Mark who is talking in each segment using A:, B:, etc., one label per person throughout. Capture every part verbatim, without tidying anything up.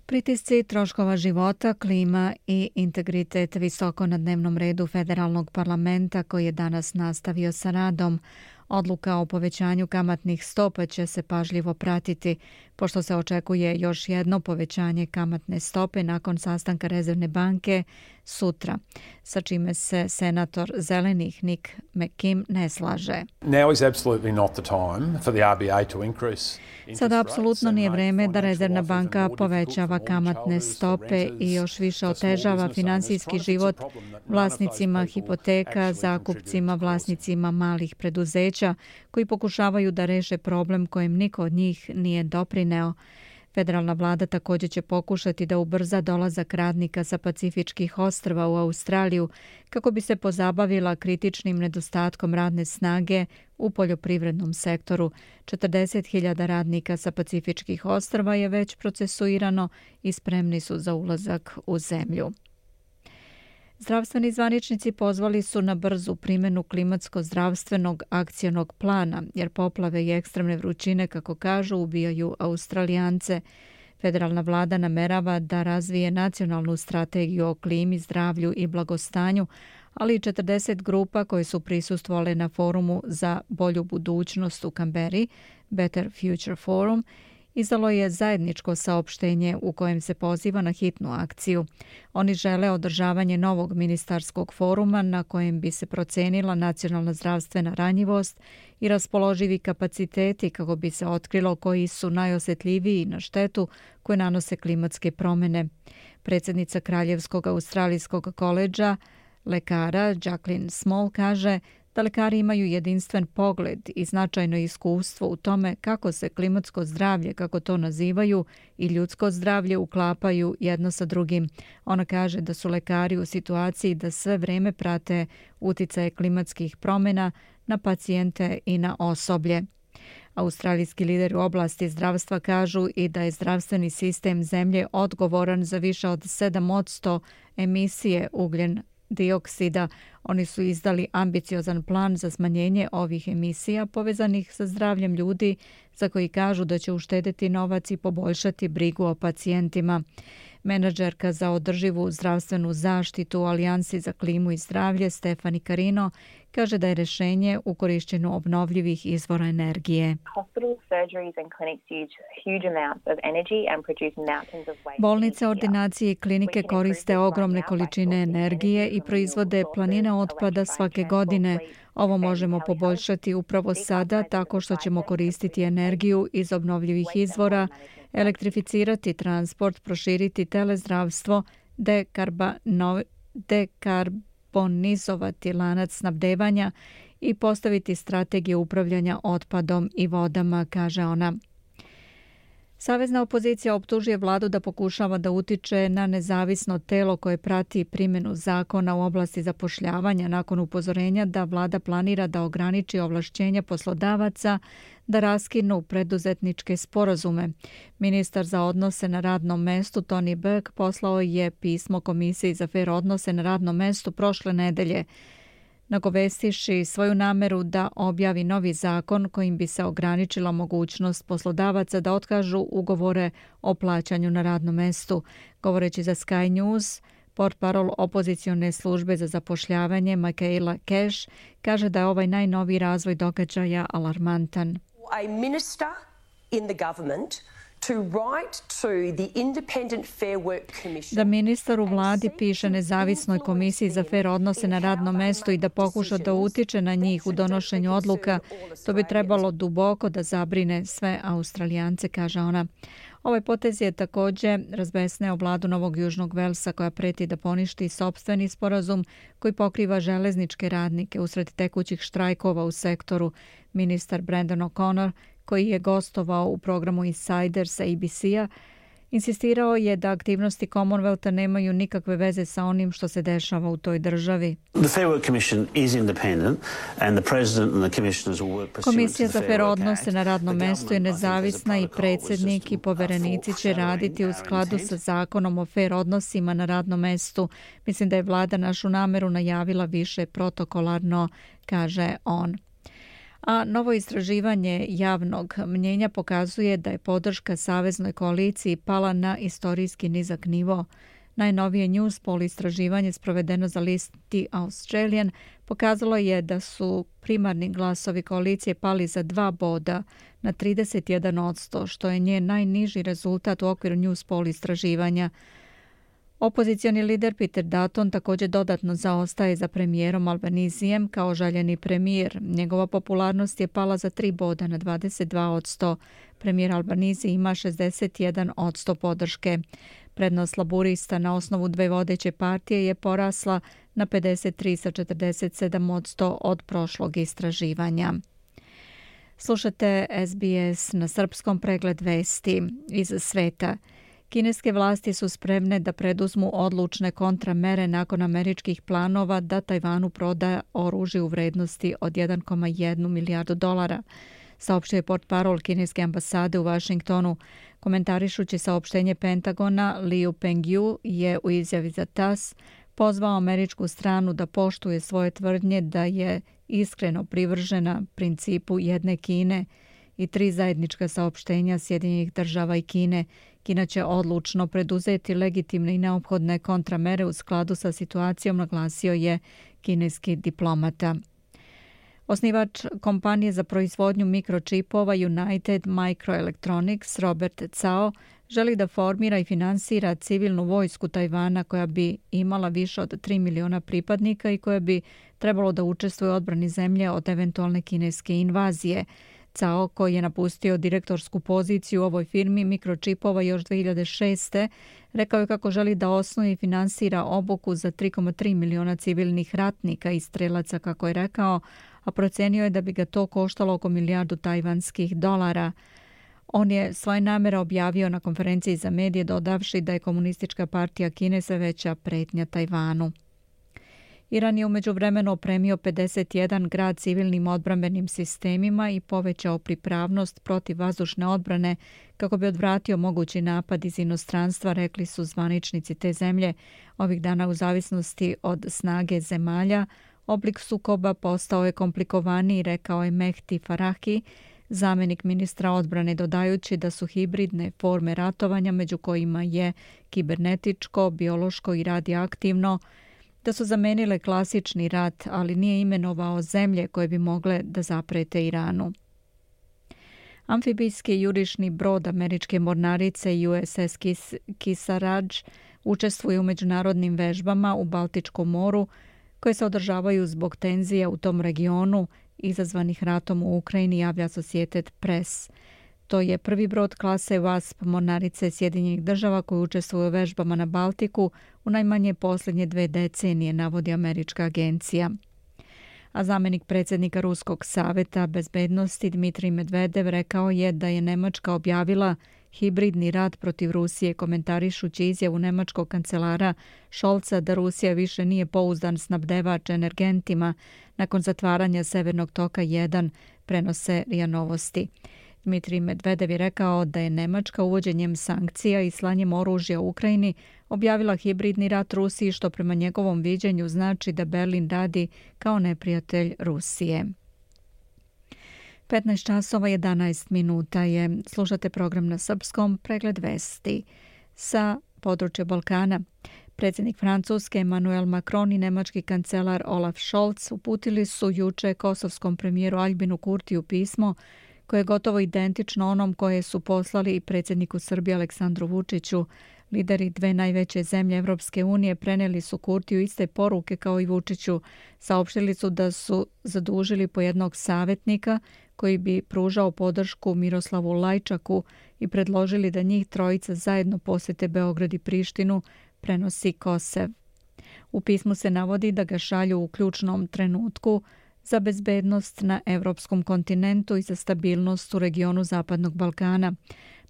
A: Pritisci troškova života, klima i integritet visoko na dnevnom redu federalnog parlamenta koji je danas nastavio sa radom. Odluka o povećanju kamatnih stopa će se pažljivo pratiti, pošto se očekuje još jedno povećanje kamatne stope nakon sastanka Rezervne banke sutra, sa čime se senator Zelenih Nick McKim ne slaže. Sada apsolutno nije vreme da Rezervna banka povećava kamatne stope i još više otežava finansijski život vlasnicima hipoteka, zakupcima, vlasnicima malih preduzeća koji pokušavaju da reše problem kojem niko od njih nije doprineo. Federalna vlada također će pokušati da ubrza dolazak radnika sa Pacifičkih ostrva u Australiju kako bi se pozabavila kritičnim nedostatkom radne snage u poljoprivrednom sektoru. četrdeset hiljada radnika sa Pacifičkih ostrva je već procesuirano i spremni su za ulazak u zemlju. Zdravstveni zvaničnici pozvali su na brzu primjenu klimatsko-zdravstvenog akcionog plana, jer poplave i ekstremne vrućine, kako kažu, ubijaju Australijance. Federalna vlada namerava da razvije nacionalnu strategiju o klimi, zdravlju i blagostanju, ali i četrdeset grupa koje su prisustvovale na forumu za bolju budućnost u Kamberi, Better Future Forum, izdalo je zajedničko saopštenje u kojem se poziva na hitnu akciju. Oni žele održavanje novog ministarskog foruma na kojem bi se procenila nacionalna zdravstvena ranjivost i raspoloživi kapaciteti kako bi se otkrilo koji su najosjetljiviji na štetu koje nanose klimatske promjene. Predsjednica Kraljevskog australijskog koledža lekara Jacqueline Small kaže da lekari imaju jedinstven pogled i značajno iskustvo u tome kako se klimatsko zdravlje, kako to nazivaju, i ljudsko zdravlje uklapaju jedno sa drugim. Ona kaže da su lekari u situaciji da sve vrijeme prate uticaje klimatskih promjena na pacijente i na osoblje. Australijski lideri u oblasti zdravstva kažu i da je zdravstveni sistem zemlje odgovoran za više od sedam posto emisije ugljen dioksida. Oni su izdali ambiciozan plan za smanjenje ovih emisija povezanih sa zdravljem ljudi, za koji kažu da će uštedeti novac i poboljšati brigu o pacijentima. Menadžerka za održivu zdravstvenu zaštitu u Alijansi za klimu i zdravlje Stefani Carino kaže da je rješenje u korišćenju obnovljivih izvora energije. Bolnice, ordinacije i klinike koriste ogromne količine energije i proizvode planine otpada svake godine. Ovo možemo poboljšati upravo sada tako što ćemo koristiti energiju iz obnovljivih izvora, elektrificirati transport, proširiti telezdravstvo, dekarbano, dekarbonizovati lanac snabdevanja i postaviti strategije upravljanja otpadom i vodama, kaže ona. Savezna opozicija optužuje vladu da pokušava da utiče na nezavisno telo koje prati primjenu zakona u oblasti zapošljavanja nakon upozorenja da vlada planira da ograniči ovlašćenja poslodavaca da raskinu preduzetničke sporazume. Ministar za odnose na radnom mestu Tony Burke poslao je pismo Komisiji za fer odnose na radnom mestu prošle nedelje, nagovestiši svoju nameru da objavi novi zakon kojim bi se ograničila mogućnost poslodavaca da otkažu ugovore o plaćanju na radnom mestu. Govoreći za Sky News, portparol opozicione službe za zapošljavanje Michaela Cash kaže da je ovaj najnoviji razvoj događaja alarmantan.
B: A minister in the government to write to the Independent Fair Work Commission.
A: Da ministar u vladi piše nezavisnoj komisiji za fer odnose na radnom mestu i da pokuša da utiče na njih u donošenju odluka, to bi trebalo duboko da zabrine sve Australijance, kaže ona. Ovaj potez je također razbesneo vladu Novog Južnog Velsa koja preti da poništi sopstveni sporazum koji pokriva železničke radnike usred tekućih štrajkova u sektoru. Ministar Brandon O'Connor, koji je gostovao u programu Insider sa A B C-a, insistirao je da aktivnosti Commonwealtha nemaju nikakve veze sa onim što se dešava u toj državi. Komisija za fer odnose na radnom mestu je nezavisna i predsjednik i poverenici će raditi u skladu sa zakonom o fer odnosima na radnom mestu. Mislim da je vlada našu nameru najavila više protokolarno, kaže on. A novo istraživanje javnog mnjenja pokazuje da je podrška saveznoj koaliciji pala na istorijski nizak nivo. Najnovije Newspoll istraživanje sprovedeno za list The Australian pokazalo je da su primarni glasovi koalicije pali za dva boda na trideset jedan posto, što je njen najniži rezultat u okviru Newspoll istraživanja. Opozicioni lider Peter Dutton također dodatno zaostaje za premijerom Albanizijem kao željeni premijer. Njegova popularnost je pala za tri boda na dvadeset dva posto. Premijer Albanizi ima šezdeset jedan posto podrške. Prednost laburista na osnovu dve vodeće partije je porasla na pedeset tri sa četrdeset sedam posto od prošlog istraživanja. Slušate S B S na srpskom, pregled vesti iz sveta. Kineske vlasti su spremne da preduzmu odlučne kontramere nakon američkih planova da Tajvanu proda oružje u vrednosti od jedan zarez jedan milijardu dolara, saopštio je portparol kineske ambasade u Vašingtonu. Komentarišući saopštenje Pentagona, Liu Pengyu je u izjavi za T A S pozvao američku stranu da poštuje svoje tvrdnje da je iskreno privržena principu jedne Kine i tri zajednička saopštenja Sjedinjenih država i Kine. Kina će odlučno preduzeti legitimne i neophodne kontramere u skladu sa situacijom, naglasio je kineski diplomata. Osnivač kompanije za proizvodnju mikročipova United Microelectronics Robert Cao želi da formira i finansira civilnu vojsku Tajvana koja bi imala više od tri miliona pripadnika i koja bi trebalo da učestvuje u odbrani zemlje od eventualne kineske invazije. Cao, koji je napustio direktorsku poziciju u ovoj firmi mikročipova još dve hiljade šeste. rekao je kako želi da osnuje i finansira obuku za tri zarez tri miliona civilnih ratnika i strelaca, kako je rekao, a procenio je da bi ga to koštalo oko milijardu tajvanskih dolara. On je svoje namere objavio na konferenciji za medije, dodavši da je Komunistička partija Kine sve veća pretnja Tajvanu. Iran je u međuvremenu opremio pedeset jedan grad civilnim odbrambenim sistemima i povećao pripravnost protiv vazdušne odbrane kako bi odvratio mogući napad iz inostranstva, rekli su zvaničnici te zemlje. Ovih dana, u zavisnosti od snage zemalja, oblik sukoba postao je komplikovaniji, rekao je Mehdi Farahi, zamenik ministra odbrane, dodajući da su hibridne forme ratovanja, među kojima je kibernetičko, biološko i radioaktivno, da su zamenile klasični rat, ali nije imenovao zemlje koje bi mogle da zaprete Iranu. Amfibijski jurišni brod američke mornarice U S S Kearsarge učestvuje u međunarodnim vežbama u Baltičkom moru koje se održavaju zbog tenzija u tom regionu izazvanih ratom u Ukrajini, javlja Associated Press. To je prvi brod klase Wasp mornarice Sjedinjenih država koji učestvuje u vežbama na Baltiku u najmanje posljednje dve decenije, navodi američka agencija. A zamenik predsjednika Ruskog saveta bezbednosti Dmitrij Medvedev rekao je da je Nemačka objavila hibridni rat protiv Rusije, komentarišući izjavu nemačkog kancelara Scholza da Rusija više nije pouzdan snabdevač energentima nakon zatvaranja Severnog toka jedan, prenose R I A Novosti. Dmitrij Medvedev je rekao da je Nemačka uvođenjem sankcija i slanjem oružja u Ukrajini objavila hibridni rat Rusiji, što prema njegovom viđenju znači da Berlin radi kao neprijatelj Rusije. petnaest časova jedanaest minuta je. Slušate program na srpskom, pregled vesti sa područja Balkana. Predsjednik Francuske Emmanuel Macron i nemački kancelar Olaf Scholz uputili su juče kosovskom premijeru Aljbinu Kurtiju pismo koje je gotovo identično onom koje su poslali i predsjedniku Srbije Aleksandru Vučiću. Lideri dve najveće zemlje Evropske unije preneli su Kurtiju iste poruke kao i Vučiću. Saopštili su da su zadužili po jednog savjetnika koji bi pružao podršku Miroslavu Lajčaku i predložili da njih trojica zajedno posjete Beograd i Prištinu, prenosi Kosev. U pismu se navodi da ga šalju u ključnom trenutku za bezbednost na evropskom kontinentu i za stabilnost u regionu Zapadnog Balkana.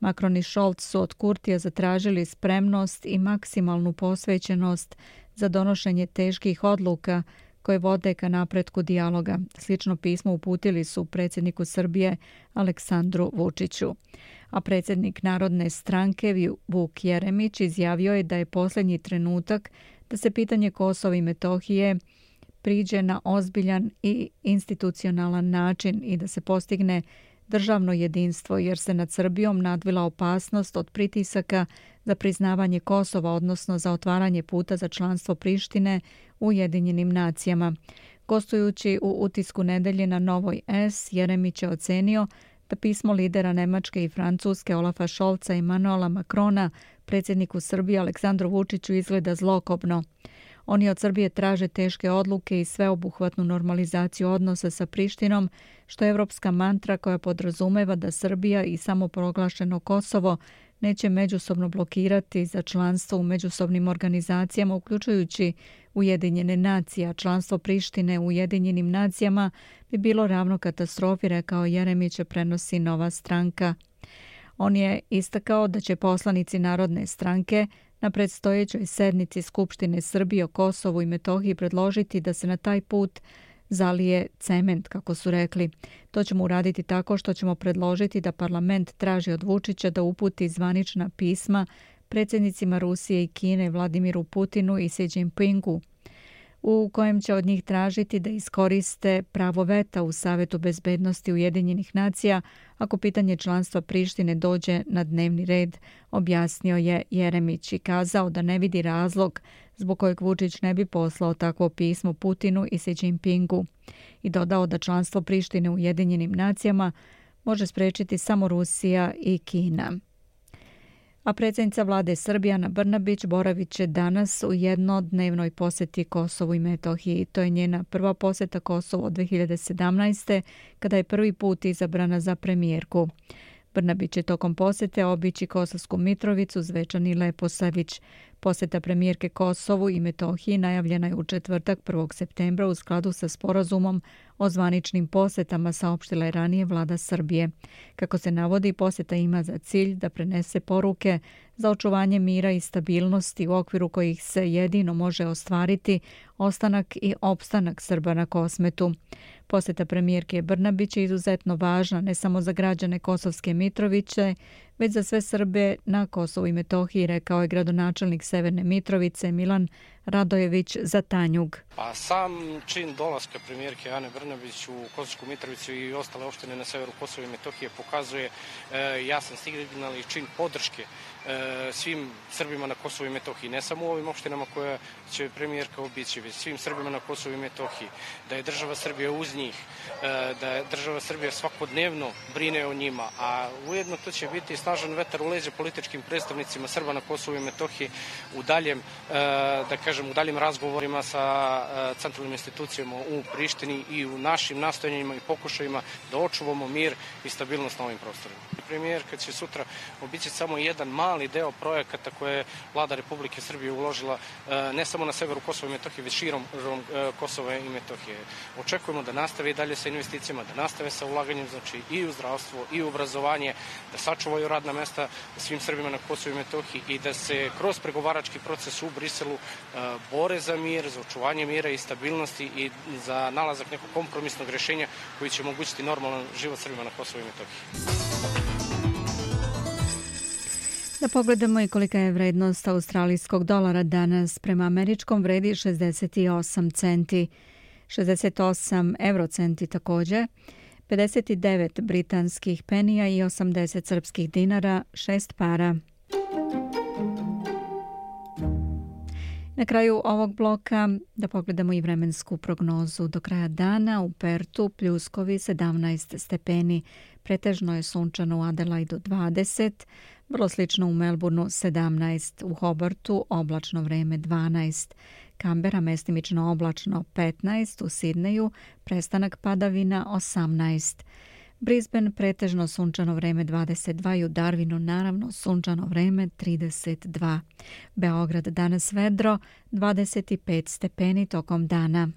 A: Macron i Scholz su od Kurtija zatražili spremnost i maksimalnu posvećenost za donošenje teških odluka koje vode ka napretku dijaloga. Slično pismo uputili su predsjedniku Srbije Aleksandru Vučiću. A predsjednik Narodne stranke Vuk Jeremić izjavio je da je posljednji trenutak da se pitanje Kosova i Metohije priđe na ozbiljan i institucionalan način i da se postigne državno jedinstvo, jer se nad Srbijom nadvila opasnost od pritisaka za priznavanje Kosova, odnosno za otvaranje puta za članstvo Prištine u Ujedinjenim nacijama. Gostujući u Utisku nedelje na Novoj S, Jeremić je ocenio da pismo lidera Nemačke i Francuske Olafa Scholza i Emanuela Macrona predsjedniku Srbije Aleksandru Vučiću izgleda zlokobno. Oni od Srbije traže teške odluke i sveobuhvatnu normalizaciju odnosa sa Prištinom, što je evropska mantra koja podrazumeva da Srbija i samoproglašeno Kosovo neće međusobno blokirati za članstvo u međusobnim organizacijama, uključujući Ujedinjene nacije, a članstvo Prištine u Ujedinjenim nacijama bi bilo ravno katastrofi, rekao Jeremić, prenosi Nova stranka. On je istakao da će poslanici Narodne stranke na predstojećoj sednici Skupštine Srbije o Kosovu i Metohiji predložiti da se na taj put zalije cement, kako su rekli. To ćemo uraditi tako što ćemo predložiti da parlament traži od Vučića da uputi zvanična pisma predsjednicima Rusije i Kine, Vladimiru Putinu i Xi Jinpingu, u kojem će od njih tražiti da iskoriste pravo veta u Savetu bezbednosti Ujedinjenih nacija ako pitanje članstva Prištine dođe na dnevni red, objasnio je Jeremić i kazao da ne vidi razlog zbog kojeg Vučić ne bi poslao takvo pismo Putinu i Xi Jinpingu i dodao da članstvo Prištine u Ujedinjenim nacijama može sprečiti samo Rusija i Kina. A predsjednica vlade Srbije Ana Brnabić boravit će danas u jednodnevnoj posjeti Kosovu i Metohiji. To je njena prva posjeta Kosovu od dve hiljade sedamnaeste. kada je prvi put izabrana za premijerku. Brnabić će tokom posjete obići Kosovsku Mitrovicu, Zvečan i Leposavić. Posjeta premijerke Kosovu i Metohiji najavljena je u četvrtak prvog septembra u skladu sa sporazumom o zvaničnim posjetama, saopštila je ranije vlada Srbije. Kako se navodi, posjeta ima za cilj da prenese poruke za očuvanje mira i stabilnosti u okviru kojih se jedino može ostvariti ostanak i opstanak Srba na Kosmetu. Posjeta premijerke Brnabić je izuzetno važna ne samo za građane Kosovske Mitrovice, već za sve Srbe na Kosovu i Metohiji, rekao je gradonačelnik Severne Mitrovice Milan Radojević za Tanjug.
C: Pa sam čin dolaska premijerke Ane Brnabić u Kosovsku Mitrovicu i ostale opštine na severu Kosova i Metohije pokazuje e, jasan signal i čin podrške e, svim Srbima na Kosovu i Metohiji, ne samo u ovim opštinama koje će premijerka obići, već svim Srbima na Kosovu i Metohiji, da je država Srbija uz njih, e, da je država Srbija svakodnevno brine o njima, a ujedno to će biti snažan vetar u leđa političkim predstavnicima Srba na Kosovu i Metohiji u daljem, e, da kažem, u daljim razgovorima sa centralnim institucijama u Prištini i u našim nastojanjima i pokušajima da očuvamo mir i stabilnost na ovim prostorima. Premijerka će sutra obići samo jedan mali deo projekata koje je vlada Republike Srbije uložila ne samo na severu Kosova i Metohije, već širom Kosova i Metohije. Očekujemo da nastave i dalje sa investicijama, da nastave sa ulaganjem, znači i u zdravstvo i u obrazovanje, da sačuvaju radna mesta svim Srbima na Kosovu i Metohiji i da se kroz pregovarački proces u Briselu bore za mir, za očuvanje mira i stabilnosti i za nalazak nekog kompromisnog rješenja koji će omogućiti normalan život Srbima na Kosovu i Metohiji.
A: Da pogledamo i kolika je vrednost australijskog dolara danas. Prema američkom vredi šezdeset osam centi, šezdeset osam eurocenti također, pedeset devet britanskih penija i osamdeset srpskih dinara, šest para. Na kraju ovog bloka da pogledamo i vremensku prognozu. Do kraja dana u Pertu pljuskovi sedamnaest stepeni, pretežno je sunčano u Adelaidu dvadeset, vrlo slično u Melbourneu sedamnaest, u Hobartu oblačno vreme dvanaest, Kambera mestimično oblačno petnaest, u Sidneju prestanak padavina osamnaest. Brisbane pretežno sunčano vreme dvadeset dva i u Darwinu naravno sunčano vreme trideset dva. Beograd danas vedro dvadeset pet stepeni tokom dana.